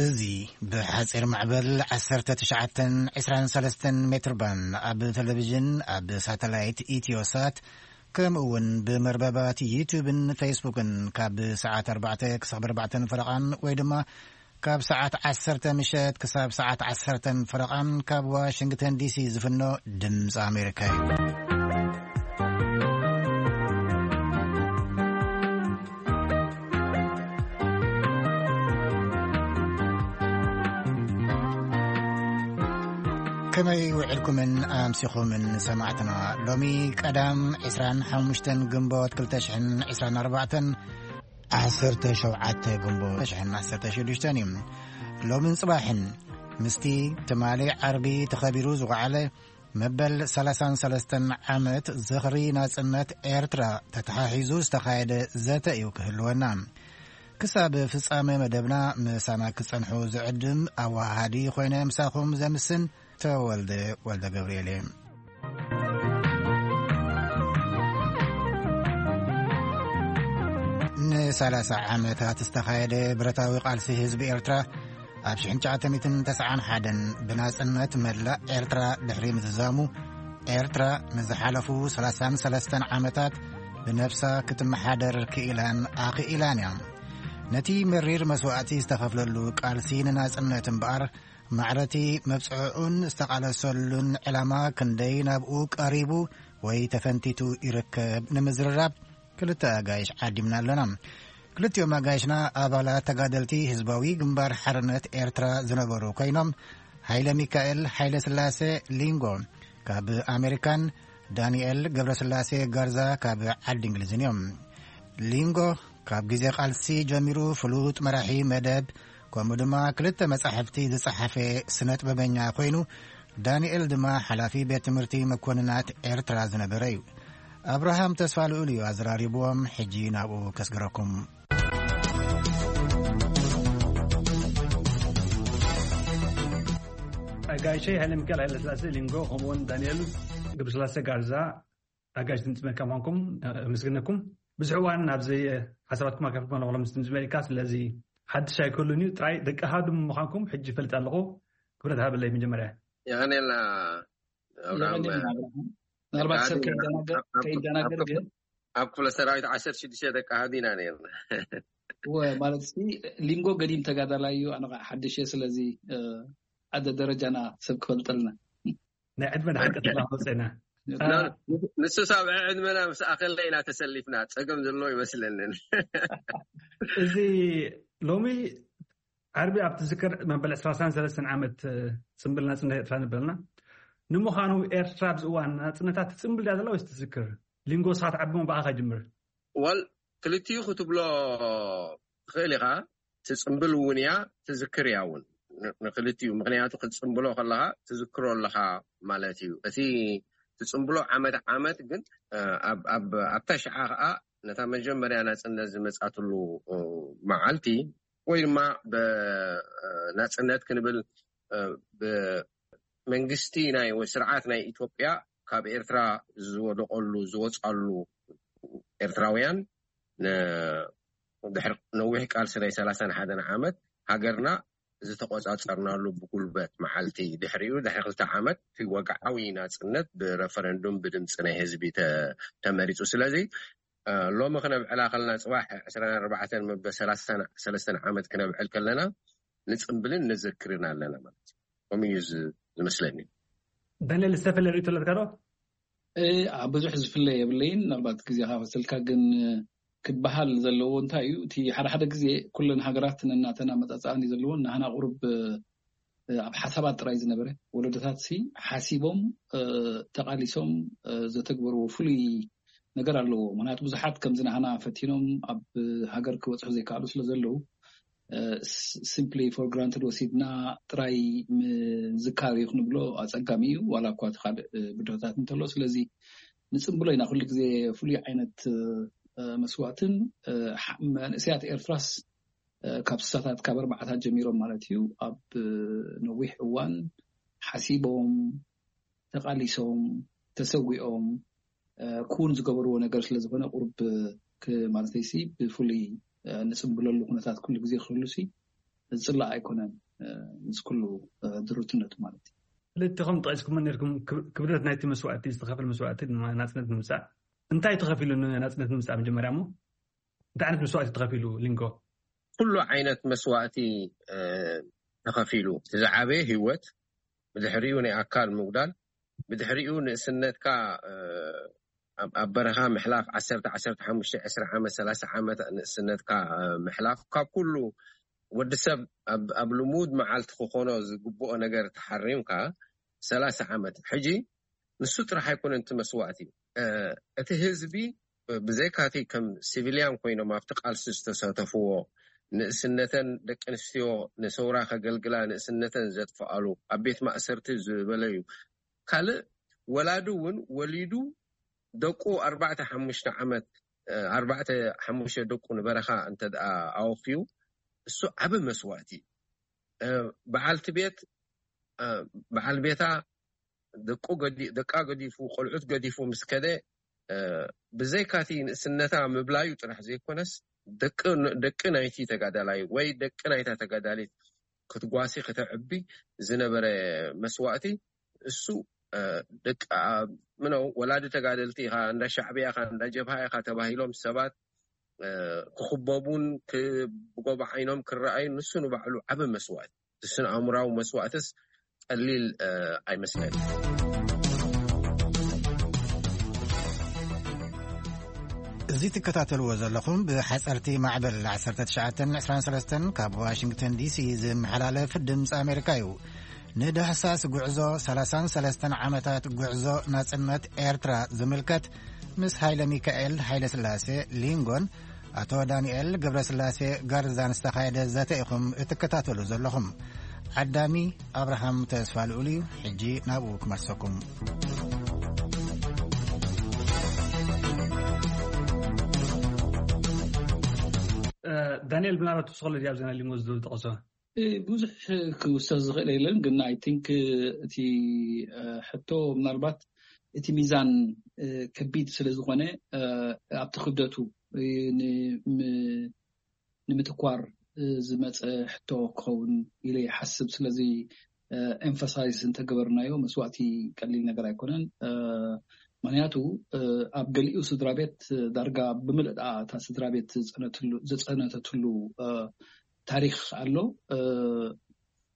እዚ ብሓጺር ማዕበል ዓሰርተ ትሽዓተን ዕስራን ሰለስተን ሜትር ባንድ ኣብ ቴሌቪዥን፣ ኣብ ሳተላይት ኢትዮሳት፣ ከምኡ እውን ብመርበባት ዩቱብን ፌስቡክን ካብ ሰዓት ኣርባዕተ ክሳብ ኣርባዕተን ፈረቓን ወይ ድማ ካብ ሰዓት ዓሰርተ ምሸት ክሳብ ሰዓት ዓሰርተን ፈረቓን ካብ ዋሽንግተን ዲሲ ዝፍኖ ድምፂ ኣሜሪካ እዩ። ከመይ ውዕልኩምን ኣምሲኹምን ሰማዕትና? ሎሚ ቀዳም ዕስራን ሓሙሽተን ግንቦት ክልተ ሽሕን ዕስራን ኣርባዕተን፣ ዓሰርተ ሸውዓተ ግንቦት ክልተ ሽሕን ዓሰርተ ሽዱሽተን እዩ። ሎምን ጽባሕን ምስቲ ትማሊ ዓርቢ ተኸቢሩ ዝወዓለ መበል ሰላሳን ሰለስተን ዓመት ዝኽሪ ናጽነት ኤርትራ ተተሓሒዙ ዝተኻየደ ዘተ እዩ ክህልወና። ክሳብ ፍጻመ መደብና ምሳና ክጸንሑ ዝዕድም ኣወሃሃዲ ኮይነ ምሳኹም ዘምስን ተወልደ ወልደ ገብርኤል እየ። ንሰላሳ ዓመታት ዝተኻየደ ብረታዊ ቃልሲ ህዝቢ ኤርትራ ኣብ ሽሕን ትሽዓተ ሚእትን ተስዓን ሓደን ብናጽነት መላእ ኤርትራ ድሕሪ ምዝዛሙ፣ ኤርትራ ንዝሓለፉ ሰላሳን ሰለስተን ዓመታት ብነፍሳ ክትመሓደር ክኢላን ኣኽኢላን እያ። ነቲ መሪር መስዋእቲ ዝተኸፍለሉ ቃልሲ ንናጽነት እምበኣር፣ ማዕረቲ መብጽዕኡን ዝተቓለሰሉን ዕላማ ክንደይ ናብኡ ቀሪቡ ወይ ተፈንቲቱ ይርከብ ንምዝርራብ ክልተ ኣጋይሽ ዓዲምና ኣለና። ክልቲኦም ኣጋይሽና ኣባላት ተጋደልቲ ህዝባዊ ግንባር ሓርነት ኤርትራ ዝነበሩ ኮይኖም፣ ሃይለ ሚካኤል ሃይለ ስላሴ ሊንጎ ካብ ኣሜሪካን ዳንኤል ገብረስላሴ ጋርዛ ካብ ዓዲ እንግሊዝን እዮም። ሊንጎ ካብ ግዜ ቃልሲ ጀሚሩ ፍሉጥ መራሒ መደብ፣ ከምኡ ድማ ክልተ መጻሕፍቲ ዝጸሓፈ ስነ ጥበበኛ ኮይኑ፣ ዳንኤል ድማ ሓላፊ ቤት ትምህርቲ መኮንናት ኤርትራ ዝነበረ እዩ። ኣብርሃም ተስፋ ልኡል እዩ ኣዘራሪብዎም። ሕጂ ናብኡ ከስግረኩም። ኣጋይሸይ ሃይለ ሚካኤል ሃይለ ስላሴ ሊንጎ፣ ከምኡውን ዳንኤል ገብረስላሴ ጋርዛ፣ ኣጋይሽ ድምፂ ኣሜሪካ ምዃንኩም ኣመስግነኩም። ብዙሕ እዋን ኣብዚ ሓሳባትኩም ኣካፊልኩም ኣለኹ፣ ሎምስ ድምፂ ኣሜሪካ። ስለዚ ሓድሽ ኣይከሉን እዩ፣ ጥራይ ደቂ ሃዱ ምዃንኩም ሕጂ ይፈልጥ ኣለኹ። ክብረት ሃበለይ መጀመርያ። የቐኔልና ኣብርሃም። የቐኔልና ኣብርሃም። ምናልባት ሰብ ከይደናገር፣ ከይደናገር ግን ኣብ ክፍለ ሰራዊት ዓሰርተ ሽዱሽተ ደቂ ሃዱ ኢና ነርና። እወ፣ ማለት ሲ ሊንጎ ገዲም ተጋዳላይ እዩ፣ ኣነ ኸዓ ሓድሽ እየ። ስለዚ፣ እ፣ ኣደ ደረጃና ሰብ ክፈልጠልና። ናይ ዕድመ ንሓቂ ተላኸብፀና። ና-፣ ንሱ ሳብ ዕድመና ምስ ኣኸለ ኢና ተሰሊፍና፣ ጸገም ዘሎ ይመስለንን። እዚ ሎሚ ዓርቢ ኣብ ትዝክር መበል ዕስራን ሰለስተን ዓመት፣ እ፣ ጽምብል ናጽነት ኤርትራ ንበልና። ንምዃኑ ኤርትራ ኣብዚ እዋን ናጽነታ ትጽምብል ድያ ዘላ ወይስ ትዝክር? ሊንጎ፣ ስኻ ትዓቢ እሞ ብኣኻ ጅምር። ወል፣ ክልቲኡ ክትብሎ ትኽእል ኢኻ። ትጽምብል እውን እያ፣ ትዝክር እያ እውን። ን-፣ ንክልቲኡ፣ ምኽንያቱ ክትጽምብሎ ከለኻ ትዝክሮ ኣለኻ ማለት እዩ። እቲ ትጽምብሎ ዓመት ዓመት ግን፣ እ፣ ኣብ፣ ኣብ፣ ኣብታ ሽዓ ኸኣ ነታ መጀመርያ ናጽነት ዝመጻትሉ፣ እ፣ መዓልቲ ወይ ድማ ብ-፣ እ፣ ናጽነት ክንብል፣ እ፣ ብ-፣ መንግስቲ ናይ ወይ ስርዓት ናይ ኢትዮጵያ ካብ ኤርትራ ዝወደቐሉ ዝወጻሉ ኤርትራውያን ን-፣ ድሕሪ ነዊሕ ቃልሲ ናይ ሰላሳን ሓደን ዓመት ሃገርና ዝተቆጻጸርናሉ ብጉልበት መዓልቲ ድሕሪኡ ድሕሪ ክልተ ዓመት እቲ ወግዓዊ ናጽነት ብረፈረንዱም ብድምጺ ናይ ህዝቢ ተ-፣ ተመሪጹ። ስለዚ፣ እ፣ ሎሚ ክነብዕላ ከለና ጽባሕ ዕስራን ኣርባዕተን መበል ሰላሳን ሰለስተን ዓመት ክነብዕል ከለና ንጽምብልን ንዝክርን ኣለና ማለት እዩ። ከምኡ እዩ ዝ-፣ ዝመስለኒ። ዳንኤል፣ ዝተፈለየ ርእይቶ ኣለካ ዶ? እ፣ ኣብ ብዙሕ ዝፍለ የብለይን። ምናልባት ግዜኻ ፈሰልካ ግን ክበሃል ዘለዎ እንታይ እዩ፣ እቲ ሓደ ሓደ ግዜ ኩለን ሃገራት ነናተን ኣመጻጽኣን እዩ ዘለዎን፣ ናህና ቁሩብ፣ እ፣ ኣብ ሓሳባት ጥራይ ዝነበረ፣ ወለዶታት ሲ ሓሲቦም፣ እ፣ ተቓሊሶም፣ እ፣ ዘተግበርዎ ፍሉይ ነገር ኣለዎ። ምኽንያቱ ብዙሓት ከምዚ ናህና ፈቲኖም ኣብ ሃገር ክበጽሑ ዘይከኣሉ ስለ ዘለዉ፣ እ፣ ስ-፣ simply for granted ወሲድና ጥራይ ምዝካር እዩ ክንብሎ ኣጸጋሚ እዩ፣ ዋላ እኳ እቲ ካልእ፣ እ፣ ብድሆታት እንተሎ። ስለዚ ንጽምብሎ ኢና ኩሉ ግዜ ፍሉይ ዓይነት፣ እ፣ መስዋእትን፣ እ፣ ሓ-፣ መንእሰያት ኤርትራስ፣ እ፣ ካብ ስሳታት፣ ካብ ኣርባዓታት ጀሚሮም ማለት እዩ፣ ኣብ፣ እ፣ ነዊሕ እዋን ሓሲቦም፣ ተቓሊሶም፣ ተሰዊኦም፣ እ፣ ክውን ዝገበርዎ ነገር ስለ ዝኾነ ቁሩብ ክ-፣ ማለተይሲ ብፍሉይ፣ እ፣ ንጽምብለሉ ኩነታት ኩሉ ግዜ ክህሉሲ ዝፅላእ ኣይኮነን። ምስ ኩሉ ድሩትነቱ ማለት እዩ። ክልቲኹም ጠቂስኩም ነርኩም ክብደት ናይቲ መስዋእቲ ዝተኸፈለ መስዋእቲ ናፅነት ንምምፃእ እንታይ ተኸፊሉ ናፅነት ንምምፃእ መጀመርያ እሞ እንታይ ዓይነት መስዋእቲ ተኸፊሉ ሊንጎ? ኩሉ ዓይነት መስዋእቲ ተኸፊሉ። እቲ ዝዓበየ ህይወት፣ ብድሕሪኡ ናይ ኣካል ምጉዳል፣ ብድሕሪኡ ንእስነትካ ኣብ በረኻ ምሕላፍ፣ ዓሰርተ ዓሰርተ ሓሙሽተ ዕስራ ዓመት ሰላሳ ዓመት ንእስነትካ ምሕላፍ፣ ካብ ኩሉ ወዲ ሰብ ኣብ ልሙድ መዓልቲ ክኾኖ ዝግብኦ ነገር ተሓሪምካ ሰላሳ ዓመት። ሕጂ ንሱ ጥራሕ ኣይኮነን እቲ መስዋእቲ። እቲ ህዝቢ ብዘይካቲ ከም ሲቪልያን ኮይኖም ኣብቲ ቃልሲ ዝተሳተፍዎ፣ ንእስነተን ደቂ ኣንስትዮ ንሰውራ ከገልግላ ንእስነተን ዘጥፍኣሉ፣ ኣብ ቤት ማእሰርቲ ዝበለዩ፣ ካልእ ወላዲ እውን ወሊዱ ደቁ ኣርባዕተ ሓሙሽተ ዓመት ኣርባዕተ ሓሙሽተ ደቁ ንበረኻ እንተ ኣወፍዩ እሱ ዓቢ መስዋእቲ። በዓልቲ ቤት በዓል ቤታ ደቁ ደቃ ገዲፉ ቆልዑት ገዲፉ ምስ ከደ ብዘይካቲ ንእስነታ ምብላዩ ጥራሕ ዘይኮነስ ደቂ ናይቲ ተጋዳላይ ወይ ደቂ ናይታ ተጋዳሊት ክትጓሲ ከተዕቢ ዝነበረ መስዋእቲ እሱ ደቂ ምነው ወላዲ ተጋደልቲ ኢኻ እንዳ ሻዕብያ ኢኻ እንዳ ጀብሃ ኢኻ ተባሂሎም ሰባት ክኽበቡን ብጎባ ዓይኖም ክረኣዩ ንሱ ንባዕሉ ዓቢ መስዋእቲ ስነ ኣእምራዊ መስዋእትስ ቀሊል ኣይመስለን። እዚ ትከታተልዎ ዘለኹም ብሓፀርቲ ማዕበል ዓሰርተ ትሽዓተ ዕስራን ሰለስተን ካብ ዋሽንግተን ዲሲ ዝመሓላለፍ ድምፂ ኣሜሪካ እዩ። ንዳህሳስ ጉዕዞ ሰላሳን ሰለስተን ዓመታት ጉዕዞ ናፅነት ኤርትራ ዝምልከት ምስ ሃይለ ሚካኤል ሃይለ ስላሴ ሊንጎን ኣቶ ዳንኤል ገብረስላሴ ጋርዛን ዝተኻየደ ዘተ ኢኹም እትከታተሉ ዘለኹም። ዓዳሚ ኣብርሃም ተስፋ ልኡል እዩ። ሕጂ ናብኡ ክመልሰኩም። ዳንኤል ብናባቱ ስኸሎ ዲያብ ዘና ሊንጎ ዝጠቕሶ ብዙሕ ክውሰድ ዝኽእል የለን፣ ግን ኣይ ቲንክ እቲ ሕቶ ምናልባት እቲ ሚዛን ከቢድ ስለ ዝኾነ ኣብቲ ክብደቱ ንምትኳር ዝመፀ ሕቶ ክኸውን ኢለ ይሓስብ። ስለዚ ኤምፋሳይዝ እንተገበርናዮ መስዋእቲ ቀሊል ነገር ኣይኮነን። ምክንያቱ ኣብ ገሊኡ ስድራ ቤት ዳርጋ ብምልእታ እታ ስድራ ቤት ዝፀነተትሉ ታሪክ ኣሎ።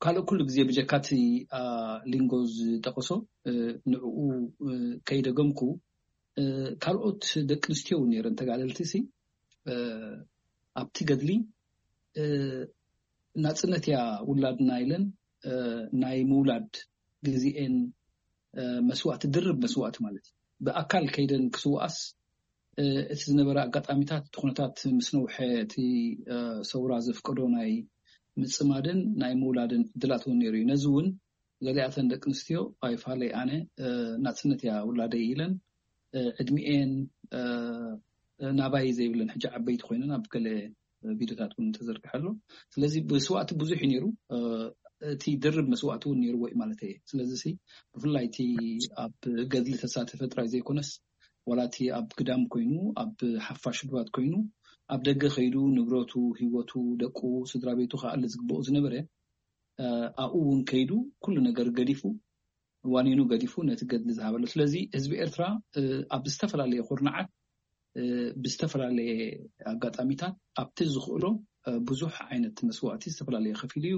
ካልእ ኩሉ ግዜ ብጀካቲ ሊንጎ ዝጠቀሶ ንዕኡ ከይደገምኩ ካልኦት ደቂ ኣንስትዮ እውን ነይረን ተጋደልቲ ሲ ኣብቲ ገድሊ ናፅነት እያ ውላድና ኢለን ናይ ምውላድ ግዜኤን መስዋእቲ ድርብ መስዋእቲ ማለት እዩ። ብኣካል ከይደን ክስውኣስ እቲ ዝነበረ ኣጋጣሚታት እቲ ኩነታት ምስ ነውሐ እቲ ሰውራ ዘፍቀዶ ናይ ምፅማድን ናይ ምውላድን ዕድላት እውን ነይሩ እዩ። ነዚ እውን ገሊኣተን ደቂ ኣንስትዮ ኣይፋለይ ኣነ ናፅነት እያ ውላደይ ኢለን ዕድሚኤን ናባይ ዘይብለን ሕጂ ዓበይቲ ኮይነን ኣብ ገለ ቪዲዮታት እውን ተዘርግሐ ኣሎ። ስለዚ መስዋእቲ ብዙሕ እዩ ነይሩ። እቲ ድርብ መስዋእቲ እውን ነይርዎ እዩ ማለት እየ። ስለዚ ብፍላይ እቲ ኣብ ገድሊ ተሳተፈ ጥራይ ዘይኮነስ ዋላ እቲ ኣብ ግዳም ኮይኑ ኣብ ሓፋሽ ድባት ኮይኑ ኣብ ደገ ከይዱ ንብረቱ፣ ህይወቱ፣ ደቁ፣ ስድራ ቤቱ ክኣሊ ዝግብኦ ዝነበረ ኣብኡ እውን ከይዱ ኩሉ ነገር ገዲፉ ዋኒኑ ገዲፉ ነቲ ገድሊ ዝሃበሉ። ስለዚ ህዝቢ ኤርትራ ኣብ ዝተፈላለየ ኩርናዓት ብዝተፈላለየ ኣጋጣሚታት ኣብቲ ዝኽእሎ ብዙሕ ዓይነት መስዋእቲ ዝተፈላለየ ከፊሉ እዩ።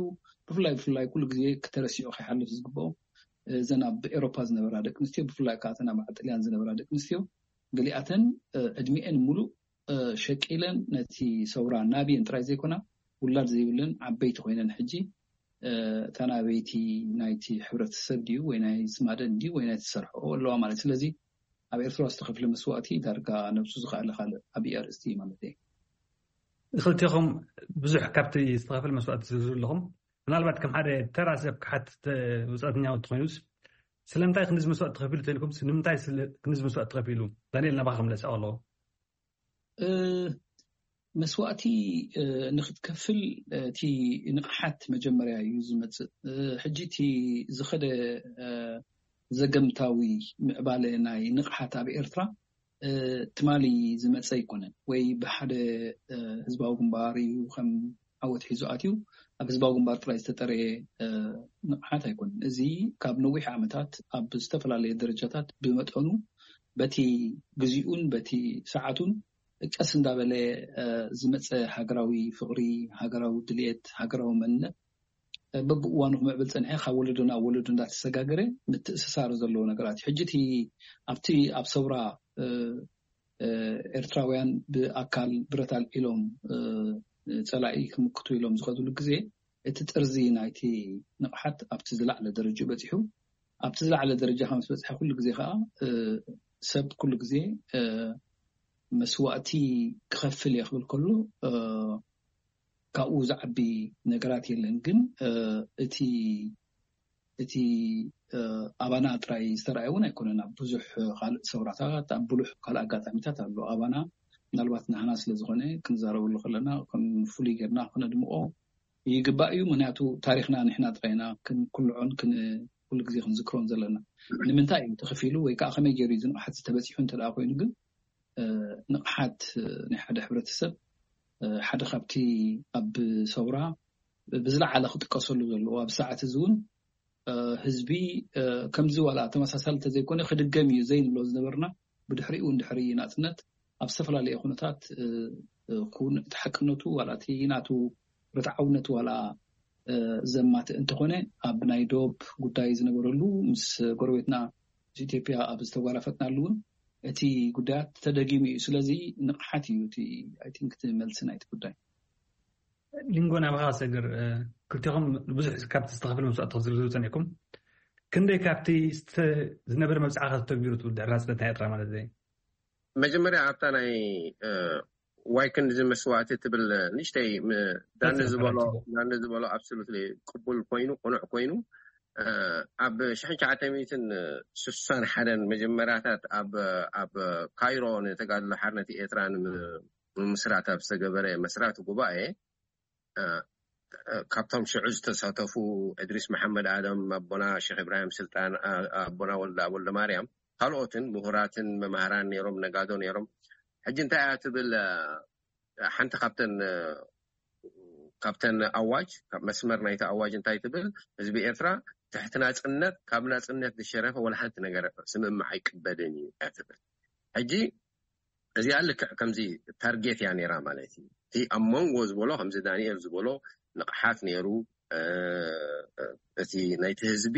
ብፍላይ ብፍላይ ኩሉ ግዜ ክተረሲዑ ከይሓልፍ ዝግብኦ እዘን ኣብ ኤሮፓ ዝነበራ ደቂ ኣንስትዮ ብፍላይ ከዓ እተን ኣብ ጥልያን ዝነበራ ደቂ ኣንስትዮ ገሊኣተን ዕድሚኤን ሙሉእ ሸቂለን ነቲ ሰውራ ናብየን ጥራይ ዘይኮና ውላድ ዘይብለን ዓበይቲ ኮይነን ሕጂ እታ ናበይቲ ናይቲ ሕብረተሰብ ድዩ ወይ ናይ ዝማደን ድዩ ወይ ናይ ዝሰርሕኦ ኣለዋ ማለት። ስለዚ ኣብ ኤርትራ ዝተኸፍለ መስዋእቲ ዳርጋ ነብሱ ዝኸኣለ ካልእ ዓብዪ ኣርእስቲ እዩ ማለት እየ። ንክልቴኹም ብዙሕ ካብቲ ዝተኸፍለ መስዋእቲ ዝዝርዝሩ ኣለኹም። ምናልባት ከም ሓደ ተራ ሰብ ክሓትት ውፅኣተኛ ትኾይኑስ ስለምንታይ ክንዚ መስዋእቲ ተኸፊሉ ተልኩም ንምንታይ ክንዚ መስዋእቲ ተኸፊሉ? ዳንኤል ናባኻ ክምለስ ኣለኹ። መስዋእቲ ንክትከፍል እቲ ንቕሓት መጀመርያ እዩ ዝመፅእ። ሕጂ እቲ ዝኸደ ዘገምታዊ ምዕባለ ናይ ንቕሓት ኣብ ኤርትራ ትማሊ ዝመፀ ኣይኮነን ወይ ብሓደ ህዝባዊ ግንባር እዩ ከም ዓወት ሒዙ ኣትዩ ኣብ ህዝባዊ ግንባር ጥራይ ዝተጠረየ ንቕሓት ኣይኮነን። እዚ ካብ ነዊሕ ዓመታት ኣብ ዝተፈላለየ ደረጃታት ብመጠኑ በቲ ግዜኡን በቲ ሰዓቱን ቀስ እንዳበለ ዝመፀ ሃገራዊ ፍቕሪ፣ ሃገራዊ ድልየት፣ ሃገራዊ መንነት በብእዋኑ ክምዕብል ፀንሐ፣ ካብ ወለዶ ናብ ወለዶ እንዳተሰጋገረ ምትእስሳር ዘለዎ ነገራት እዩ። ሕጂ እቲ ኣብቲ ኣብ ሰውራ ኤርትራውያን ብኣካል ብረት ኣልዒሎም ፀላኢ ክምክቱ ኢሎም ዝኸድሉ ግዜ እቲ ጥርዚ ናይቲ ንቕሓት ኣብቲ ዝላዕለ ደረጃ በፂሑ። ኣብቲ ዝላዕለ ደረጃ ከም ዝበፅሐ ኩሉ ግዜ ከዓ ሰብ ኩሉ ግዜ መስዋእቲ ክኸፍል እየ ክብል ከሎ ካብኡ ዝዓቢ ነገራት የለን። ግን እቲ እቲ ኣባና ጥራይ ዝተረኣየ እውን ኣይኮነን። ኣብ ብዙሕ ካልእ ሰውራታት ኣብ ብሉሕ ካልእ ኣጋጣሚታት ኣሎ። ኣባና ምናልባት ንህና ስለ ዝኾነ ክንዛረበሉ ከለና ከም ፍሉይ ጌርና ክነድምቆ ይግባእ እዩ። ምክንያቱ ታሪኽና ንሕና ጥራይና ክንኩልዖን ኩሉ ግዜ ክንዝክሮን ዘለና። ንምንታይ እዩ ተኸፊሉ ወይ ከዓ ከመይ ገይሩ እዩ ዝንቕሓት ዝተበፂሑ እንተ ደኣ ኮይኑ ግን ንቕሓት ናይ ሓደ ሕብረተሰብ ሓደ ካብቲ ኣብ ሰውራ ብዝለዓለ ክጥቀሰሉ ዘለዎ ኣብ ሰዓት እዚ እውን ህዝቢ ከምዚ ዋላ ተመሳሳሊ ተዘይኮነ ክድገም እዩ ዘይንብሎ ዝነበርና ብድሕሪኡ እውን ድሕሪ ናፅነት ኣብ ዝተፈላለየ ኩነታት ክውንዕ እቲ ሓቅነቱ ዋላ እቲ ናቱ ርትዓውነት ዋላ ዘማትእ እንተኾነ ኣብ ናይ ዶብ ጉዳይ ዝነበረሉ ምስ ጎረቤትና ምስ ኢትዮጵያ ኣብ ዝተጓራፈጥናሉ እውን እቲ ጉዳያት ተደጊሙ እዩ። ስለዚ ንቕሓት እዩ እቲ I think እቲ መልሲ ናይቲ ጉዳይ። ሊንጎ ናባኻ ሰግር ክልቲኹም ብዙሕ ካብቲ ዝተኸፍለ መስዋእቲ ክትዝርዝሩ ፀኒዕኩም ክንደይ ካብቲ ዝነበረ መብፅዓ ከተተግቢሩ ትብል ድሕሪ ናፅነት ናይ ኤርትራ ማለት እዩ? መጀመርያ ኣብታ ናይ ዋይ ክንድዚ መስዋእቲ ትብል ንእሽተይ ዳኒ ዝበሎ ዳኒ ዝበሎ absolutely ቅቡል ኮይኑ ቅኑዕ ኮይኑ ኣብ ሽሕን ትሽዓተ ሚእትን ስሳን ሓደን መጀመርያታት ኣብ ኣብ ካይሮ ንተጋድሎ ሓርነት ኤርትራ ንምምስራት ኣብ ዝተገበረ መስራቲ ጉባኤ ካብቶም ሽዑ ዝተሳተፉ እድሪስ መሓመድ ኣደም ኣቦና ሸክ ኢብራሂም ስልጣን ኣቦና ወልዳ ወልደ ማርያም ካልኦትን ምሁራትን መማህራን ነይሮም ነጋዶ ነይሮም። ሕጂ እንታይ እያ ትብል ሓንቲ ካብተን ካብተን ኣዋጅ ካብ መስመር ናይቲ ኣዋጅ እንታይ ትብል? ህዝቢ ኤርትራ ትሕቲ ናፅነት ካብ ናፅነት ዝሸረፈ ወላ ሓንቲ ነገር ስምምዕ ኣይቅበልን እዩ እያ ትብል። ሕጂ እዚኣ ልክዕ ከምዚ ታርጌት እያ ነይራ ማለት እዩ። እቲ ኣብ መንጎ ዝበሎ ከምዚ ዳንኤል ዝበሎ ንቕሓት ነይሩ። እቲ ናይቲ ህዝቢ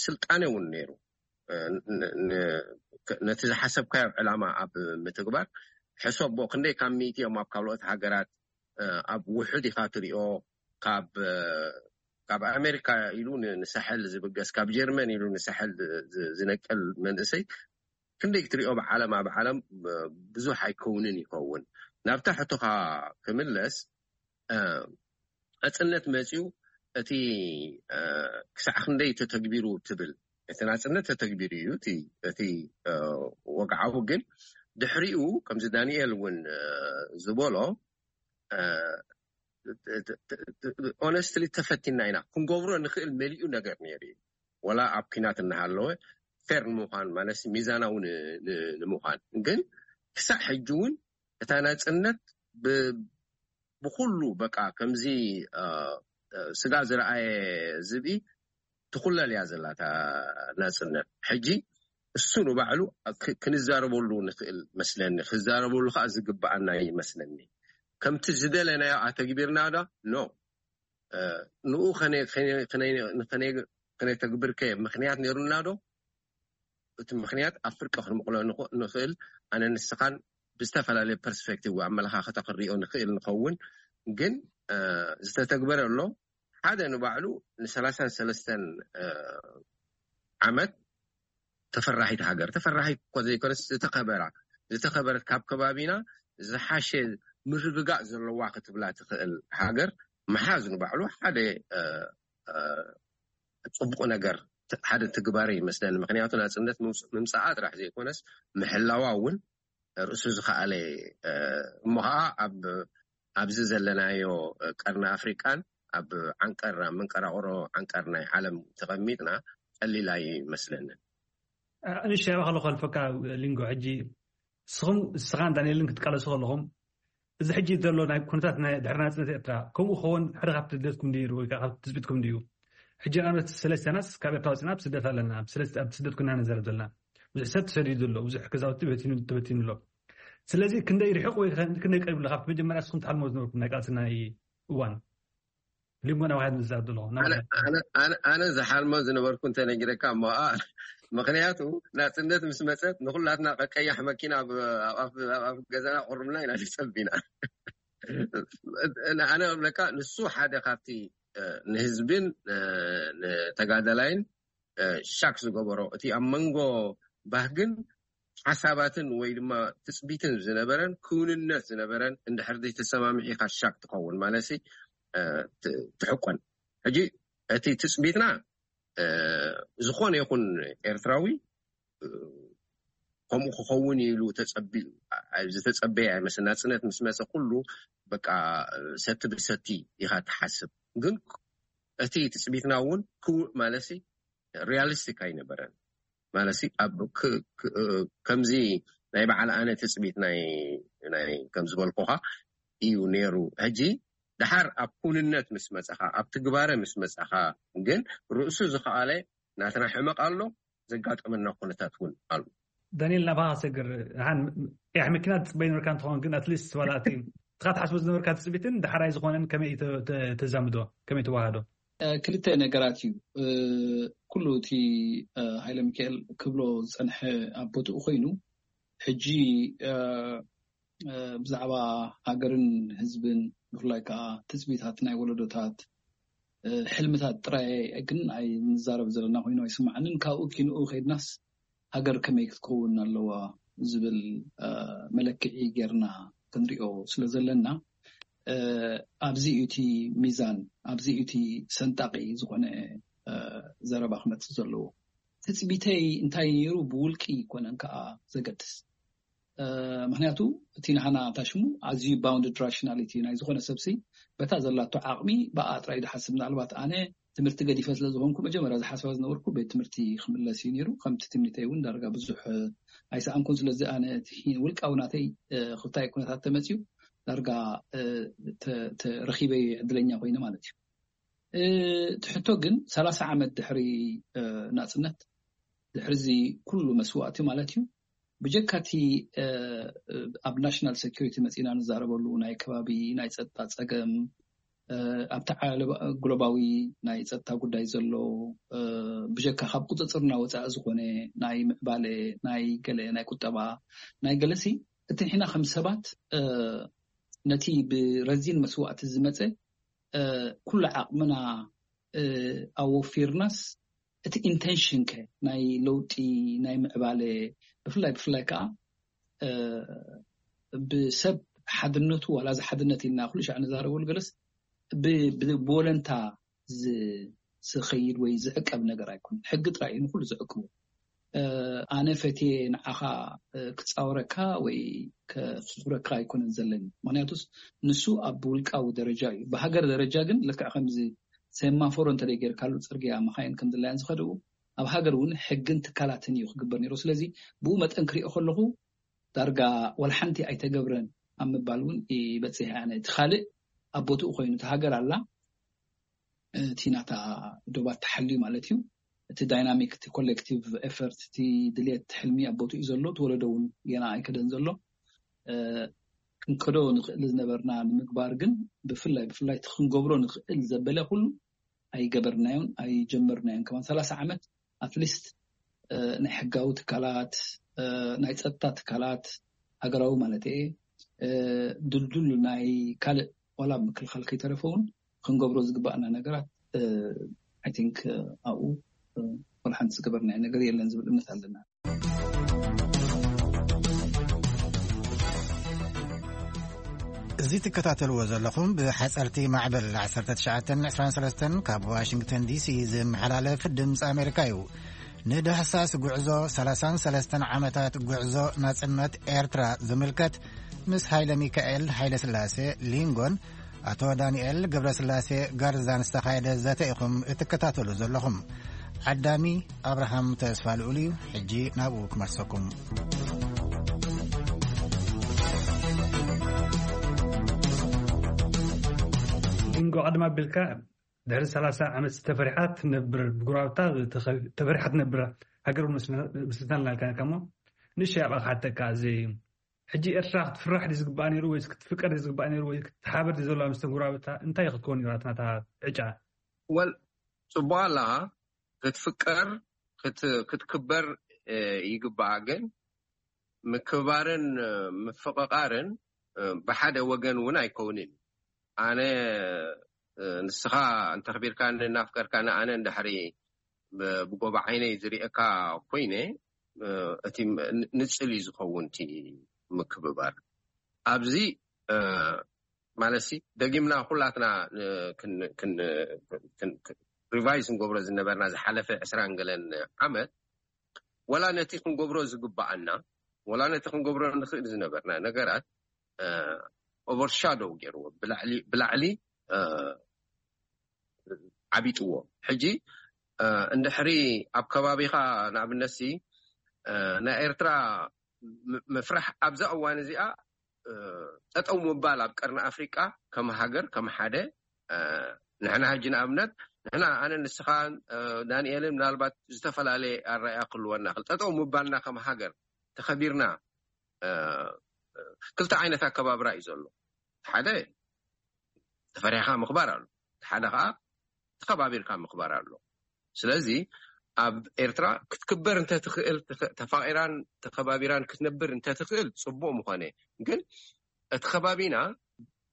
ስልጣነ እውን ነይሩ። ነቲ ዝሓሰብካዮ ዕላማ ኣብ ምትግባር ሕሰቦ ክንደይ ካብ ሚእቲ እዮም ኣብ ካልኦት ሃገራት ኣብ ውሑድ ኢኻ ትሪኦ ካብ ካብ ኣሜሪካ ኢሉ ንሳሕል ዝብገስ ካብ ጀርመን ኢሉ ንሳሕል ዝነቅል መንእሰይ ክንደይ ክትሪኦ ብዓለም ኣብ ዓለም ብዙሕ ኣይከውንን ይኸውን። ናብታ ሕቶኻ ክምለስ ናፅነት መፅዩ እቲ ክሳዕ ክንደይ ተተግቢሩ ትብል እቲ ናፅነት ተተግቢሩ እዩ እቲ ወግዓዊ ግን ድሕሪኡ ከምዚ ዳንኤል እውን ዝበሎ honestly ተፈቲና ኢና ክንገብሮ ንኽእል መሊኡ ነገር ነይሩ እዩ። ወላ ኣብ ኪናት እናሃለወ ፌር ንምዃን ማለት ሚዛናዊ ንምዃን ግን ክሳዕ ሕጂ እውን እታ ናፅነት ብኩሉ በቃ ከምዚ ስጋ ዝረኣየ ዝብኢ ትኹለል እያ ዘላ እታ ናፅነት። ሕጂ እሱ ንባዕሉ ክንዛረበሉ ንኽእል መስለኒ፣ ክዛረበሉ ከዓ ዝግበኣና ይመስለኒ። ከምቲ ዝደለናዮ ኣተግቢርና ዶ ኖ ንኡ ከነተግብርከ ምኽንያት ነይሩና ዶ? እቲ ምኽንያት ኣብ ፍርቂ ክንምቕሎ ንኽእል ኣነ ንስኻን ብዝተፈላለየ ፐርስፔክቲቭ ኣመለኻኸታ ክንሪኦ ንኽእል ንኸውን ግን ዝተተግበረ ኣሎ ሓደ ንባዕሉ ንሰላሳን ሰለስተን ዓመት ተፈራሒት ሃገር ተፈራሒት እኮ ዘይኮነስ ዝተኸበራ ዝተኸበረት ካብ ከባቢና ዝሓሸ ምርግጋእ ዘለዋ ክትብላ ትኽእል ሃገር ምሓዝ ንባዕሉ ሓደ ፅቡቕ ነገር ሓደ ትግባር ይመስለኒ ምክንያቱ ናፅነት ምምፃኣ ጥራሕ ዘይኮነስ ምሕላዋ እውን ርእሱ ዝኸኣለ እሞ ከዓ ኣብ ኣብዚ ዘለናዮ ቀርኒ ኣፍሪቃን ኣብ ዓንቀር ኣብ መንቀራቕሮ ዓንቀር ናይ ዓለም ተቐሚጥና ቀሊል ኣይመስለንን። ንሻ ባኸሎ ከልፈካ ሊንጎ ሕጂ ንስኹም ንስኻን ዳንኤልን ክትቃለሱ ከለኹም እዚ ሕጂ ዘሎ ናይ ኩነታት ናይ ድሕሪ ናጽነት ኤርትራ ከምኡ ክኸውን ሓደ ካብቲ ልደትኩም ድዩ ወይ ከዓ ካብቲ ትጽቢትኩም ድዩ? ሕጂ ንኣብነት ሰለስተናስ ካብ ኤርትራ ወጺና ኣብ ስደት ኣለና። ኣብ ስደት፣ ኣብ ስደት ኩና ንዘረብ ዘለና። ብዙሕ ሰብ ተሰዲዱ ኣሎ። ብዙሕ ገዛውቲ በቲኑ፣ ተበቲኑ ኣሎ። ስለዚ ክንደይ ርሑቕ ወይ ክንደይ ቀሪቡ ኣሎ ካብቲ መጀመርያ ንስኹም ትሓልሞ ዝነበርኩም ናይ ቃልሲ ናይ እዋን? ሊንጎ ናብ ሃይድ ንዛረብ ዘለኹ። ናብ ኣነ፣ ኣነ፣ ኣነ፣ ኣነ ዝሓልሞ ዝነበርኩ እንተነጊረካ እሞ፣ ኣ፣ ምኽንያቱ ናጽነት ምስ መጸት ንኹላትና ቀያሕ መኪና ኣብ፣ ኣብ፣ ኣብ፣ ኣብ ገዛና ቁርብና ኢና ንጸቢና። ኣነ እብለካ፣ ንሱ ሓደ ካብቲ፣ እ፣ ንህዝብን፣ እ፣ ንተጋዳላይን፣ እ፣ ሻክ ዝገበሮ፣ እቲ ኣብ መንጎ ባህግን ሓሳባትን ወይ ድማ ትጽቢትን ዝነበረን ክውንነት ዝነበረን እንድሕር ዘይተሰማሚዒኻ ሻክ ትኸውን፣ ማለትሲ፣ እ፣ ት-፣ ትሕቆን። ሕጂ እቲ ትጽቢትና፣ እ፣ ዝኾነ ይኹን ኤርትራዊ፣ እ፣ ከምኡ ክኸውን ኢሉ ተጸቢኡ፣ ኣ-፣ ዝተጸበየ ኣይመስል። ናጽነት ምስ መጸ ኩሉ በቃ፣ እ፣ ሰቲ ብሰቲ ኢኻ ትሓስብ። ግን እቲ ትጽቢትና እውን ክው-፣ ማለትሲ ሪያሊስቲክ ኣይነበረን። ማለትሲ ኣብ ክ-፣ ክ-፣ እ፣ ከምዚ ናይ በዓል ኣነ ትጽቢት ናይ፣ ናይ ከም ዝበልኩኻ እዩ ነይሩ። ሕጂ ደሓር ኣብ ኩንነት ምስ መጻኻ፣ ኣብ ትግባረ ምስ መጻኻ ግን ርእሱ ዝኸኣለ ናትና ሕመቕ ኣሎ፣ ዘጋጠመና ኩነታት እውን ኣሎ። ዳንኤል፣ ናባኻ ሰግር። ሓን ቀያሕ መኪና ትጽበይ ነበርካ እንትኸውን፣ ግን ኣትሊስት ዋላ እቲ ንስኻ ትሓስቦ ዝነበርካ ትጽቢትን ዳሕራይ ዝኾነን ከመይ ተ-፣ ተ-፣ ተዛምዶ? ከመይ ተዋሃዶ? እ፣ ክልተ ነገራት እዩ። እ፣ ኩሉ እቲ፣ እ፣ ሃይለ ሚካኤል ክብሎ ዝጸንሐ ኣብ ቦትኡ ኮይኑ፣ ሕጂ፣ እ፣ እ፣ ብዛዕባ ሃገርን ህዝብን፣ ብፍላይ ከኣ ትጽቢታት ናይ ወለዶታት፣ እ፣ ሕልምታት ጥራይ ግን ኣይንዛረብ ዘለና ኮይኑ ኣይስምዓንን። ካብኡ ኪንኡ ከይድናስ ሃገር ከመይ ክትከውን ኣለዋ ዝብል፣ እ፣ መለክዒ ጌርና ክንሪኦ ስለ ዘለና፣ እ፣ ኣብዚ እዩ እቲ ሚዛን፣ ኣብዚ እዩ እቲ ሰንጣቂ ዝኾነ፣ እ፣ ዘረባ ክመጽእ ዘለዎ። ትጽቢተይ እንታይ ነይሩ ብውልቂ ኣይኮነን ከኣ ዘገድስ። እ፣ ምኽንያቱ እቲ ናህና ታሽሙ ኣዝዩ ባውንድድ ራሽናሊቲ ናይ ዝኾነ ሰብሲ በታ ዘላቶ ዓቕሚ ብኣ ጥራይ ድሓስብ። ምናልባት ኣነ ትምህርቲ ገዲፈ ስለ ዝኾንኩ መጀመርያ ዝሓስባ ዝነበርኩ ቤት ትምህርቲ ክምለስ እዩ ነይሩ። ከምቲ ትምኒተይ እውን ዳርጋ ብዙሕ፣ እ፣ ኣይሰኣንኩን። ስለዚ ኣነ እቲ ሂ-፣ ውልቃዊ ናተይ፣ እ፣ ክልታይ ኩነታት ተመፅዩ ዳርጋ፣ እ፣ ተ-፣ ተ-፣ ረኺበ ዕድለኛ ኮይነ ማለት እዩ። እ፣ እቲ ሕቶ ግን ሰላሳ ዓመት ድሕሪ፣ እ፣ ናፅነት፣ ድሕሪ እዚ ኩሉ መስዋእቲ ማለት እዩ፣ ብጀካ እቲ፣ እ፣ ኣብ ናሽናል ሴኩሪቲ መፂና ንዛረበሉ ናይ ከባቢ ናይ ፀጥታ ፀገም፣ እ፣ ኣብቲ ዓለ-፣ ግሎባዊ ናይ ፀጥታ ጉዳይ ዘሎ፣ እ፣ ብጀካ ካብ ቁፅፅርና ወፃኢ ዝኾነ ናይ ምዕባለ፣ ናይ ገለ፣ ናይ ቁጠባ፣ ናይ ገለሲ፣ እቲ ንሕና ከም ሰባት፣ እ፣ ነቲ ብረዚን መስዋእቲ ዝመፀ፣ እ፣ ኩሉ ዓቕምና፣ እ፣ ኣወፊርናስ፣ እቲ ኢንቴንሽን ከ ናይ ለውጢ፣ ናይ ምዕባለ፣ ብፍላይ፣ ብፍላይ ከኣ፣ እ፣ ብሰብ ሓድነቱ፣ ዋላ እዚ ሓድነት ኢልና ኩሉ ሻዕ ንዛረበሉ ገለስ፣ ብ-፣ ብ-፣ ብወለንታ ዝ-፣ ዝኸይድ ወይ ዝዕቀብ ነገር ኣይኮነን። ሕጊ ጥራይ እዩ ንኹሉ ዝዕቅቡ። እ፣ ኣነ ፈትየ ንዓኻ፣ እ፣ ክጻወረካ ወይ ከኽብረካ ኣይኮነን ዘለኒ። ምኽንያቱስ ንሱ ኣብ ውልቃዊ ደረጃ እዩ። ብሃገር ደረጃ ግን ልክዕ ከምዚ ሴማፎሮ እንተ ጌርካሉ ጽርግያ መኻይን ከም ድላየን ዝኸድኡ፣ ኣብ ሃገር እውን ሕግን ትካላትን እዩ ክግበር ነይሩ። ስለዚ ብኡ መጠን ክሪኦ ከለኹ ዳርጋ ዋላ ሓንቲ ኣይተገብረን ኣብ ምባል እውን ይበጽሕ። ኣነ እቲ ካልእ ኣብ ቦትኡ ኮይኑ፣ እቲ ሃገር ኣላ፣ እቲ ናታ ዶባት ተሓልዩ ማለት እዩ። እቲ ዳይናሚክ፣ እቲ ኮሌክቲቭ ኤፈርት፣ እቲ ድልየት፣ ሕልሚ ኣብ ቦትኡ እዩ ዘሎ። እቲ ወለዶ እውን ገና ኣይከደን ዘሎ። እ፣ ክንከዶ ንኽእል ዝነበርና ንምግባር ግን ብፍላይ፣ ብፍላይ እቲ ክንገብሮ ንኽእል ዘበለ ኩሉ ኣይገበርናዮን፣ ኣይጀመርናዮን። ከማን ሰላሳ ዓመት ኣትሊስት፣ እ፣ ናይ ሕጋዊ ትካላት፣ እ፣ ናይ ጸጥታ ትካላት፣ ሃገራዊ ማለት እየ፣ እ፣ ድልዱል ናይ ካልእ ዋላ ምክልኻል ከይተረፈ እውን ክንገብሮ ዝግባኣና ነገራት፣ እ፣ ኣይ ቲንክ፣ እ፣ ኣብኡ፣ እ፣ ዋላ ሓንቲ ዝገበርናዮ ነገር የለን ዝብል እምነት ኣለና። እዚ ትከታተልዎ ዘለኹም ብሓጸርቲ ማዕበል ዓሰርተ ትሽዓተን ዕስራን ሰለስተን ካብ ዋሽንግተን ዲሲ ዝመሓላለፍ ድምፂ ኣሜሪካ እዩ። ንዳህሳስ ጉዕዞ ሰላሳን ሰለስተን ዓመታት ጉዕዞ ናጽነት ኤርትራ ዝምልከት ምስ ሃይለ ሚካኤል ሃይለ ስላሴ ሊንጎን ኣቶ ዳንኤል ገብረስላሴ ጋርዛን ዝተኻየደ ዘተ ኢኹም እትከታተሉ ዘለኹም። ዓዳሚ ኣብርሃም ተስፋ ልኡል እዩ። ሕጂ ናብኡ ክመልሰኩም። ሊንጎ፣ ቀደም ኣቢልካ ድሕሪ ሰላሳ ዓመት ተፈሪሓ ትነብር፣ ብጉራብታ ተኸ- ተፈሪሓ ትነብር ሃገር እውን መስልና- መስልታልና ኢልካ ነርካ እሞ፣ ንእሽተይ ኣብኣ ክሓተካ። እዚ ሕጂ ኤርትራ ክትፍራሕ ድዩ ዝግባኣ ነይሩ፣ ወይስ ክትፍቀር ድዩ ዝግባኣ ነይሩ፣ ወይ ክትሓበር ድዩ ዘለዋ ምስ ተጉራብታ? እንታይ ክትከውን ነይራ ናታ ዕጫ? ወል ጽቡቅ ኣላ። ክትፍቀር ክት- ክትክበር እ፣ ይግባኣ። ግን ምክባርን እ፣ ምፍቕቓርን እ፣ ብሓደ ወገን እውን ኣይከውንን። ኣነ እ፣ ንስኻ እንተኽቢርካኒ እናፍቀርካኒ ኣነ እንድሕሪ ብ- ብጎባ ዓይነይ ዝሪእካ ኮይነ እ፣ እቲ ም- ን- ንጽል እዩ ዝኸውን እቲ ምክብባር ኣብዚ እ፣ ማለት ሲ ደጊምና ኩላትና እ፣ ክን- ክን- ክን- ክን- ሪቫይዝ ንገብሮ ዝነበርና ዝሓለፈ ዕስራን ገለን ዓመት ወላ ነቲ ክንገብሮ ዝግባኣና ወላ ነቲ ክንገብሮ ንኽእል ዝነበርና ነገራት ኦቨርሻዶው ገይርዎ ብላዕሊ ብላዕሊ እ፣ ዓቢጥዎ። ሕጂ እ፣ እንድሕሪ ኣብ ከባቢኻ ንኣብነት ሲ እ፣ ናይ ኤርትራ ም- ምፍራሕ ኣብዛ እዋን እዚኣ እ፣ ጠጠው ምባል ኣብ ቀርኒ ኣፍሪቃ ከም ሃገር ከም ሓደ እ፣ ንሕና ሕጂ ንኣብነት ንሕና ኣነ ንስኻን እ፣ ዳንኤልን ምናልባት ዝተፈላለየ ኣረኣያ ክህልወና ይኽእል። ጠጠው ምባልና ከም ሃገር ተኸቢርና እ፣ ክልተ ዓይነት ኣከባብራ እዩ ዘሎ። ሓደ ተፈሪሕካ ምኽባር ኣሎ፣ ሓደ ከዓ ተኸባቢርካ ምኽባር ኣሎ። ስለዚ ኣብ ኤርትራ ክትክበር እንተትኽእል፣ ተኸ- ተፋቒራን ተኸባቢራን ክትነብር እንተትኽእል ጽቡቕ ምኾነ። ግን እቲ ከባቢና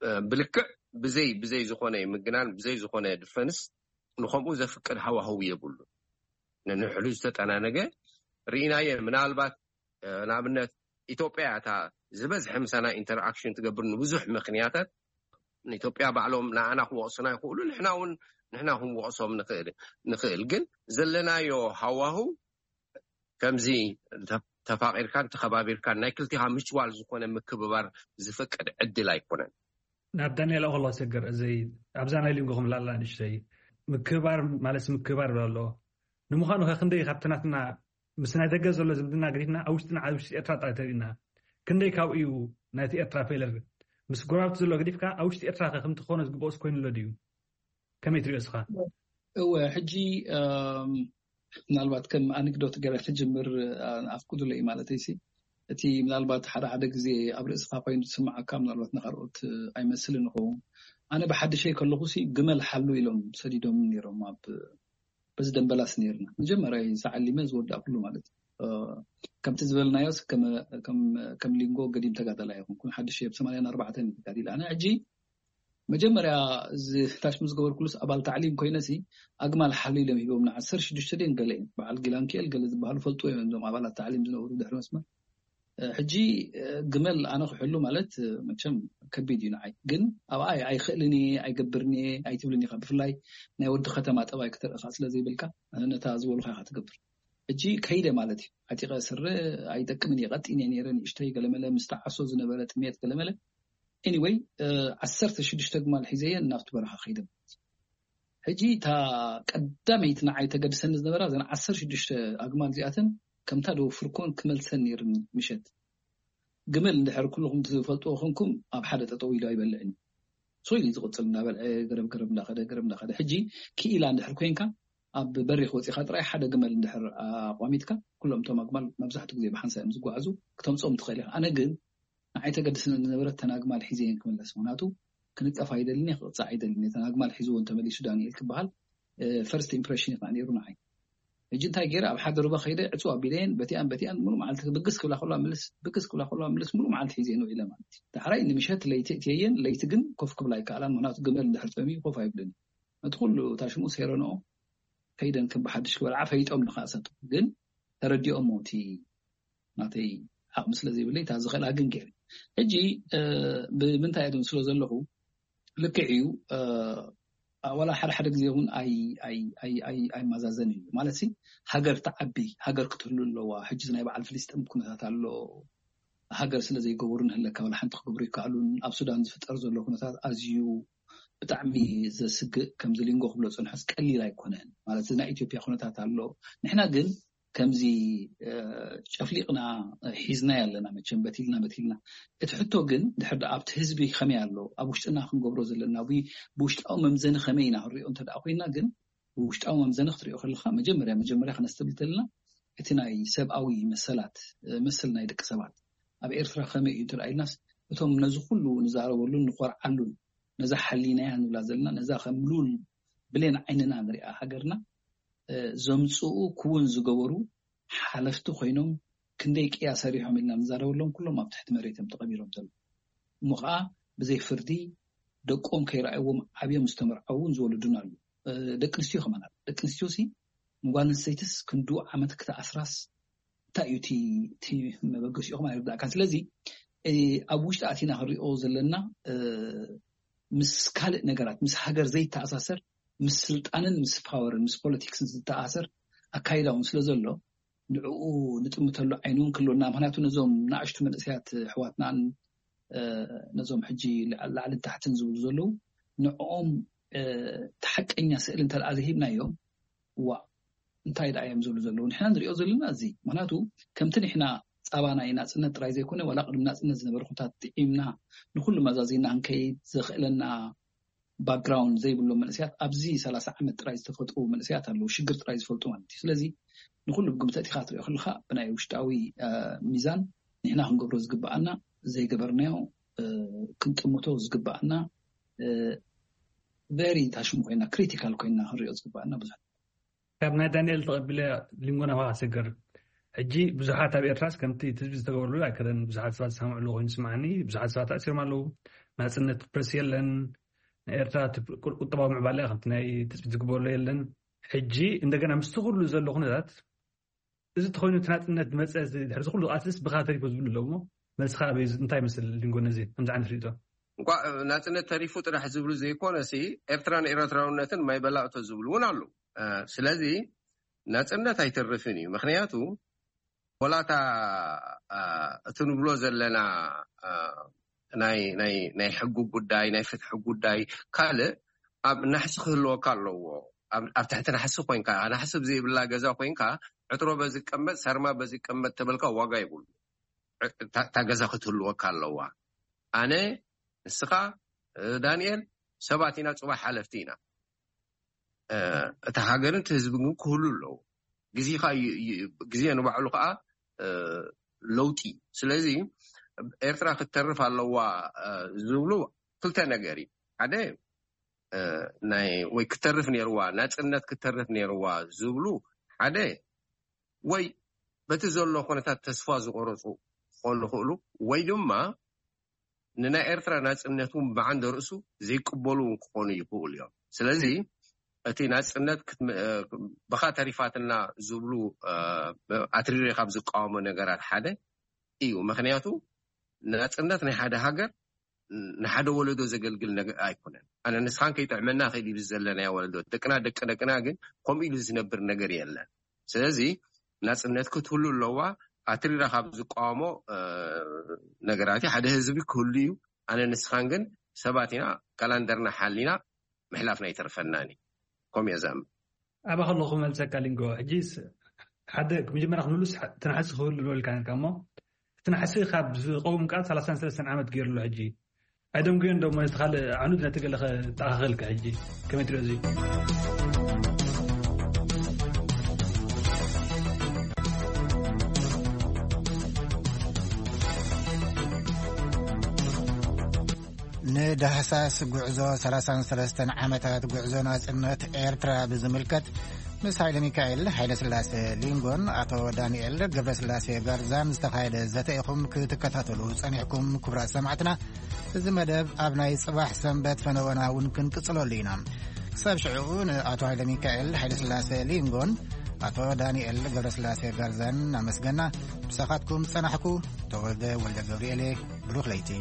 እ፣ ብልክዕ ብዘይ ብዘይ ዝኾነ ምግናን ብዘይ ዝኾነ ድፈንስ ንኸምኡ ዘፍቅድ ሃዋህው የብሉ። ንንሕሉ ዝተጠናነገ ርኢናየ። ምናልባት እ፣ ንኣብነት ኢትዮጵያ እታ ዝበዝሐ ምሳና ኢንተርኣክሽን ትገብር ንብዙሕ ምኽንያታት። ንኢትዮጵያ ባዕሎም ንኣና ክወቕሱና ይኽእሉ፣ ንሕና እውን ንሕና ክንወቕሶም ንኽእል ንኽእል። ግን ዘለናዮ ሃዋህው ከምዚ ተ- ተፋቒርካን ተኸባቢርካን ናይ ክልቲኻ ምችዋል ዝኾነ ምክብባር ዝፈቅድ ዕድል ኣይኮነን። ናብ ዳንኤል ኣኸሎ ሰገር እዚ ኣብዛ ናይ ሊንጎ ክምላላ ንእሽተይ ምክብባር ማለት ምክብባር ይብል ኣሎ። ንምዃኑ ከ ክንደይ ካብቲ ናትና ምስ ናይ ደገ ዘሎ ዝምድና ገዲፍና ኣብ ውሽጥና ኣብ ውሽጢ ኤርትራ ጥራይ ተሪእና ክንደይ ካብኡ እዩ ናይቲ ኤርትራ ፌለር? ምስ ጎረባብቲ ዘሎ ገዲፍካ ኣብ ውሽጢ ኤርትራ ከ ከምቲ ክኾነ ዝግብኦስ ኮይኑ ኣሎ ድዩ? ከመይ ትሪኦ እስኻ? እወ፣ ሕጂ እም፣ ምናልባት ከም ኣነክዶት ገይረ ክጅምር ኣ- ኣፍቅዱለይ ማለተይ ሲ እቲ ምናልባት ሓደ ሓደ ግዜ ኣብ ርእስኻ ኮይኑ ዝስምዓካ ምናልባት ንካልኦት ኣይመስልን ይኸውን። ኣነ ብሓድሸይ ከለኹ ሲ ግመል ሓሉ ኢሎም ሰዲዶም ነይሮም ኣብ በዚ ደንበላስ ነይርና መጀመርያ ዝዓሊመ ዝወዳእኩሉ ማለት እዩ። እ፣ ከምቲ ዝበልናዮስ ከመ- ከም ከም ሊንጎ ገዲም ተጋዳላይ ኣይኮንኩን። ሓድሸይ ኣብ ሰማንያን ኣርባዕተን ተጋዲለ ኣነ። ሕጂ መጀመርያ እዚ ታሽሙ ዝገበርኩሉስ ኣባል ታዕሊም ኮይነሲ ኣግማል ሓሉ ኢሎም ሂቦምና። ዓሰርተ ሽዱሽተ ደን ገለ እዮም በዓል ጊላንኪኤል ገለ ዝበሃሉ ፈልጡ እዮም እዞም ኣባላት ታዕሊም ዝነበሩ ድሕሪ መስመር። እ፣ ሕጂ እ፣ ግመል ኣነ ክሕሉ ማለት እ፣ መቸም ከቢድ እዩ ንዓይ። ግን ኣብኣ ኣይክእልን እየ ኣይገብርን እየ ኣይትብልን ኢኻ። ብፍላይ ናይ ወዲ ከተማ ጠባይ ክተርኢ ከዓ ስለ ዘይብልካ እ፣ ነታ ዝበሉካ ኢኻ ትገብር። ሕጂ ከይደ ማለት እዩ። ዓጢቐ ስረ ኣይጠቅምን እየ። ቀጢነ ነይረ ንእሽተይ ገለመለ ምስ ተዓሶ ዝነበረ ጥሜት ገለመለ። ኤኒወይ ዓሰርተ ሽዱሽተ ግማል ሒዘየን ናብቲ በረኻ ከይደ። ሕጂ እታ ቀዳመይቲ ንዓይ ተገድሰኒ ዝነበራ እዘን ዓሰርተ ሽዱሽተ ኣግማል እዚኣተን ከምታ ደወፍርኮን ክመልሰን ነይርኒ። ምሸት ግመል እንድሕር ኩልኹም ትፈልጥዎ ኮንኩም ኣብ ሓደ ጠጠው ኢሉ ኣይበልዕን እዩ። ሶ ኢሉ ዝቕፅል እንዳበልዐ ገረብ ገረብ እንዳኸደ ገረብ እንዳኸደ። ሕጂ ክኢላ እንድሕር ኮንካ ኣብ በሪኽ ወፂኻ ጥራይ ሓደ ግመል እንድሕር ኣቋሚጥካ ኩሎም እቶም ኣግማል መብዛሕትኡ ግዜ ብሓንሳ እዮም ዝጓዓዙ፣ ክተምፅኦም ትኽእል ኢኻ። ኣነ ግን ንዓይ ተገድስኒ ዝነበረት ተን ኣግማል ሒዘየን ክምለስ። ምክንያቱ ክንጠፍ ኣይደልን እየ፣ ክቕፃዕ ኣይደልን እየ። ተን ኣግማል ሒዝወን ተመሊሱ ዳንኤል ክበሃል ፈርስት ኢምፕሬሽን እዩ ከዓ ነይሩ ንዓይ። ሕጂ እንታይ ገይረ ኣብ ሓደ ሩባ ከይደ ዕፅው ኣቢለየን በቲኣን በቲኣን ሙሉእ መዓልቲ ብግስ ክብላ ከለዋ ምልስ ብግስ ክብላ ከለዋ ምልስ ሙሉእ መዓልቲ ሒዘየን ውዒለ ማለት እዩ። ዳሕራይ ንምሸት ለይቲ እትየየን ለይቲ ግን ኮፍ ክብላ ኣይከኣላን። ምክንያቱ ግመል እንድሕር ፀምዩ ኮፍ ኣይብልን እዩ። ነቲ ኩሉ ታሽሙ ሴረንኦ ከይደን ከም ብሓድሽ ክበልዓ ፈይጦም ንኸኣሰጡ ግን ተረዲኦሞ እቲ ናተይ ዓቕሚ ስለ ዘይብለይ እታ ዝኽእላ ግን ገይረ። ሕጂ እ፣ ብምንታይ እየ ስለ ዘለኹ ልክዕ እዩ እ፣ ዋላ ሓደ ሓደ ግዜ እውን ኣይ- ኣይ- ኣይ- ኣይ- ኣይመዛዘን እዩ ማለት ሲ ሃገር ትዓቢ ሃገር ክትህሉ ኣለዋ። ሕጂ ናይ በዓል ፍልስጥም ኩነታት ኣሎ። ሃገር ስለ ዘይገበሩ ንህለካ ዋላ ሓንቲ ክገብሩ ይከኣሉን። ኣብ ሱዳን ዝፍጠር ዘሎ ኩነታት ኣዝዩ ብጣዕሚ ዘስግእ ከምዚ ሊንጎ ክብሎ ፅንሖስ ቀሊል ኣይኮነን ማለት እዚ ናይ ኢትዮጵያ ኩነታት ኣሎ። ንሕና ግን ከምዚ ጨፍሊቕና ሒዝና ያለና፣ መቸም በቲልና በቲልና። እቲ ሕቶ ግን ድሕር ኣብቲ ህዝቢ ከመይ ኣሎ፣ ኣብ ውሽጥና ክንገብሮ ዘለና፣ ብውሽጣዊ መምዘኒ ከመይ ኢና ክንሪኦ እንተ ኮይና፣ ግን ብውሽጣዊ መምዘኒ ክትሪኦ ከለካ፣ መጀመርያ መጀመርያ ክነስተብል ተለና፣ እቲ ናይ ሰብኣዊ መሰላት፣ መሰል ናይ ደቂ ሰባት ኣብ ኤርትራ ከመይ እዩ እንተ ኢልናስ፣ እቶም ነዚ ኩሉ ንዛረበሉን ንኮርዓሉን፣ ነዛ ሓሊናያ ንብላ ዘለና፣ ነዛ ከም ሉል ብሌን ዓይንና ንሪኣ ሃገርና ዘምፅኡ ክውን ዝገበሩ ሓለፍቲ ኮይኖም፣ ክንደይ ቅያ ሰሪሖም ኢልና ንዛረበሎም፣ ኩሎም ኣብ ትሕቲ መሬት እዮም ተቐቢሮም ዘለዉ። እሞ ከዓ ብዘይ ፍርዲ ደቆም ከይረኣይዎም ዓብዮም ዝተመርዐውን ዝወለዱን ኣሉ። ደቂ ኣንስትዮ ከማን ኣሎ። ደቂ ኣንስትዮ ሲ ንጓል ኣንስተይትስ ክንዱ ዓመት ክትኣስራስ እንታይ እዩ እቲ መበገሲኡ ከማን ኣይርዳእካን። ስለዚ ኣብ ውሽጢ ኣቲና ክንሪኦ ዘለና ምስ ካልእ ነገራት፣ ምስ ሃገር ዘይተኣሳሰር፣ ምስ ስልጣንን ምስ ፓወርን ምስ ፖለቲክስን ዝተኣሳሰር ኣካይዳ እውን ስለ ዘሎ፣ ንዕኡ ንጥምተሉ ዓይኒ እውን ክህልወና። ምክንያቱ ነዞም ንኣሽቱ መንእሰያት ኣሕዋትናን ነዞም ሕጂ ላዕልን ታሕትን ዝብሉ ዘለዉ፣ ንዕኦም እቲ ሓቀኛ ስእሊ እንተ ደኣ ዘይሂብናዮም፣ ዋ እንታይ ደኣ እዮም ዝብሉ ዘለዉ? ንሕና ንሪኦ ዘለና እዚ። ምክንያቱ ከምቲ ንሕና ጻባ ናይ ናጽነት ጥራይ ዘይኮነ፣ ዋላ ቅድሚ ናጽነት ዝነበረ ኩነታት ጥዒምና ንኩሉ መዛዚና ክንከይድ ዘኽእለና ባክግራውንድ ዘይብሎም መንእሰያት ኣብዚ ሰላሳ ዓመት ጥራይ ዝተፈጥሩ መንእሰያት ኣለዉ፣ ሽግር ጥራይ ዝፈልጡ ማለት እዩ። ስለዚ ንኩሉ ብግምት ኣእቲኻ ክትሪኦ ከለኻ ብናይ ውሽጣዊ ሚዛን ንሕና ክንገብሮ ዝግብኣና ዘይገበርናዮ ክንጥምቶ ዝግብኣና ቨሪ ታሽሙ ኮይና ክሪቲካል ኮይና ክንሪኦ ዝግብኣና ብዙሕ ካብ ናይ ዳንኤል ተቐቢለ ሊንጎ ናባኻ ክሰግር። ሕጂ ብዙሓት ኣብ ኤርትራስ ከምቲ ትጽቢት ዝተገበረሉ ኣይከደን። ብዙሓት ሰባት ዝሰምዕሉ ኮይኑ ይስምዓኒ። ብዙሓት ሰባት ተኣሲሮም ኣለዉ። ናጽነት ፕረስ የለን። ናይ ኤርትራ ቁጠባዊ ምዕባለ ከምቲ ናይ ትጽቢት ዝግበረሉ የለን። ሕጂ እንደገና ምስቲ ኩሉ ዘሎ ኩነታት እዚ ተኮይኑ እቲ ናጽነት መጸ ድሕሪ ኩሉ ቃልስስ ብኻ ተሪፎ ዝብሉ ኣለዉ። መልስኻ ኣበይ እንታይ ይመስል ሊንጎ ነዚ ከምዚ ዓይነት ርእቶ? እንኳ ናጽነት ተሪፉ ጥራሕ ዝብሉ ዘይኮነ ሲ ኤርትራን ኤርትራውነትን ማይ በላእቶ ዝብሉ እውን ኣለዉ። ስለዚ ናጽነት ኣይተርፍን እዩ። ምክንያቱ ወላታ እቲ ንብሎ ዘለና ናይ ናይ ናይ ሕጊ ጉዳይ ናይ ፍትሒ ጉዳይ ካልእ ኣብ ናሕሲ ክህልወካ ኣለዎ። ኣብ ትሕቲ ናሕሲ ኮይንካ ናሕሲ ብዘይብላ ገዛ ኮይንካ ዕትሮ በዚ ቀመጥ ሳርማ በዚ ቀመጥ ተበልካ ዋጋ ይብሉ። እታ ገዛ ክትህልወካ ኣለዋ። ኣነ ንስኻ ዳንኤል ሰባት ኢና፣ ፅባሕ ሓለፍቲ ኢና። እታ ሃገርን እቲ ህዝቢ ግን ክህሉ ኣለዎ። ግዜኻ ግዜ ንባዕሉ ከዓ ለውጢ። ስለዚ ኤርትራ ክትተርፍ ኣለዋ ዝብሉ ክልተ ነገር እዩ። ሓደ ናይ ወይ ክትተርፍ ነይርዋ ናፅነት ክትተርፍ ነይርዋ ዝብሉ ሓደ ወይ በቲ ዘሎ ኩነታት ተስፋ ዝቆረፁ ክኾኑ ይኽእሉ ወይ ድማ ንናይ ኤርትራ ናፅነት እውን ብዓንደ ርእሱ ዘይቅበሉ እውን ክኾኑ ይኽእሉ እዮም። ስለዚ እቲ ናፅነት ብኻ ተሪፋትና ዝብሉ ኣትሪሬ ካብ ዝቃወሞ ነገራት ሓደ እዩ። ምክንያቱ ናፅነት ናይ ሓደ ሃገር ንሓደ ወለዶ ዘገልግል ነገር ኣይኮነን። ኣነ ንስኻን ከይጥዕመና ክእል ኢሉ ዘለናዮ ወለዶ ደቅና ደቂ ደቅና ግን ከምኡ ኢሉ ዝነብር ነገር የለን። ስለዚ ናፅነት ክትህሉ ኣለዋ። ኣትሪራ ካብ ዝቃወሞ ነገራት ሓደ ህዝቢ ክህሉ እዩ። ኣነ ንስኻን ግን ሰባት ኢና፣ ካላንደርና ሓሊና ምሕላፍና ኣይተርፈናን እዩ። ከምኡ እየ ዝኣምን። ኣባ ከለኹ መልሰካ ሊንጎ። ሕጂ ሓደ መጀመርያ ክንብሉስ ትናሕሲ ክህሉ ዝበልካ ነርካ እሞ እቲ ናሕሲ ካብ ዝቀውም ቃል ሰላሳን ሰለስተን ዓመት ገይሩ ኣሎ። ሕጂ ኣይደንጉዮን ዶ ማለት ካልእ ዓኑድ ነቲ ገለ ከተኣኻኽልካ ሕጂ ከመይ ትሪኦ እዚ? ንዳህሳስ ጉዕዞ ሰላሳን ሰለስተን ዓመታት ጉዕዞ ናጽነት ኤርትራ ብዝምልከት ምስ ሃይለ ሚካኤል ሃይለ ስላሴ ሊንጎን ኣቶ ዳንኤል ገብረስላሴ ጋርዛን ዝተኻየደ ዘተ ኢኹም ክትከታተሉ ጸኒሕኩም። ክቡራት ሰማዕትና፣ እዚ መደብ ኣብ ናይ ጽባሕ ሰንበት ፈነወና እውን ክንቅጽለሉ ኢና። ክሳብ ሽዑ ንኣቶ ሃይለ ሚካኤል ሃይለ ስላሴ ሊንጎን ኣቶ ዳንኤል ገብረስላሴ ጋርዛን ኣመስገና። ምሳኻትኩም ጸናሕኩ ተወልደ ወልደ ገብርኤል። ብሩኽ ለይቲ።